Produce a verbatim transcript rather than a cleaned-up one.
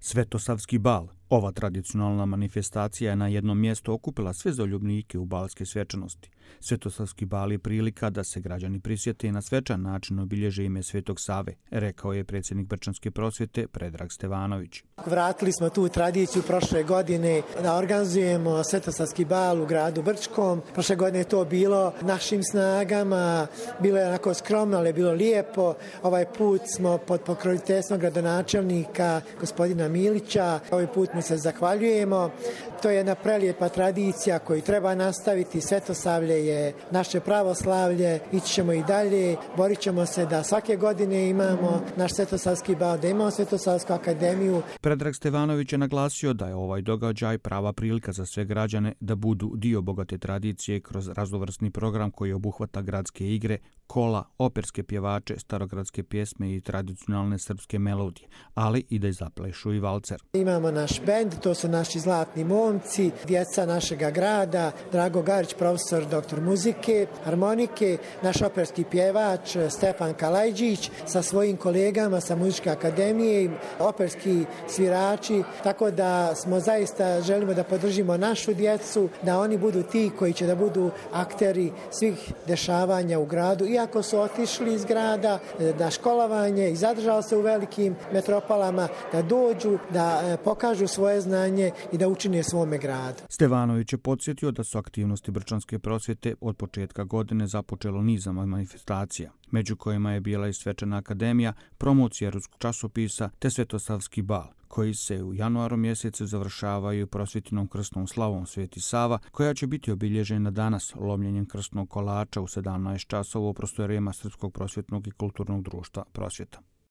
Svetosavski bal. Ova tradicionalna manifestacija je na jednom mjestu okupila sve zaljubnike u balske svečanosti. Svetosavski bal je prilika da se građani prisjete i na svečan način obilježe ime Svetog Save, rekao je predsjednik Brčanske prosvjete Predrag Stevanović. Vratili smo tu tradiciju prošle godine da organizujemo Svetosavski bal u gradu Brčkom. Prošle godine je to bilo našim snagama, bilo je onako skromno, ali je bilo lijepo. Ovaj put smo pod pokroviteljstvom gradonačelnika gospodina Milića. Ovaj put mu se zahvaljujemo. To je jedna prelijepa tradicija koju treba nastaviti. Svetosavlje je naše pravoslavlje, ići ćemo i dalje. Borit ćemo se da svake godine imamo naš Svetosavski bal, da imamo Svetosavsku akademiju. Predrag Stevanović je naglasio da je ovaj događaj prava prilika za sve građane da budu dio bogate tradicije kroz raznovrsni program koji obuhvata gradske igre, kola, operske pjevače, starogradske pjesme i tradicionalne srpske melodije, ali i da zaplešu i valcer. Imamo naš bend, to su naši zlatni momci, djeca našega grada, Drago Garić, profesor doktor muzike, harmonike, naš operski pjevač Stefan Kalajđić sa svojim kolegama sa Muzičke akademije, operski svirači, tako da smo zaista želimo da podržimo našu djecu, da oni budu ti koji će da budu akteri svih dešavanja u gradu, iako su otišli iz grada na školovanje i zadržali se u velikim metropolama, da dođu, da pokažu svoje znanje i da učine svome gradu. Stevanović je podsjetio da su aktivnosti Brčanske prosvjete od početka godine započelo nizama manifestacija, među kojima je bila i svečana akademija, promocija ruskog časopisa te Svetosavski bal, koji se u januaru mjesecu završavaju prosvjetinom krstnom slavom Sveti Sava, koja će biti obilježena danas lomljenjem krstnog kolača u sedamnaest časova u prostorijama Srpskog prosvjetnog i kulturnog društva Prosvjeta.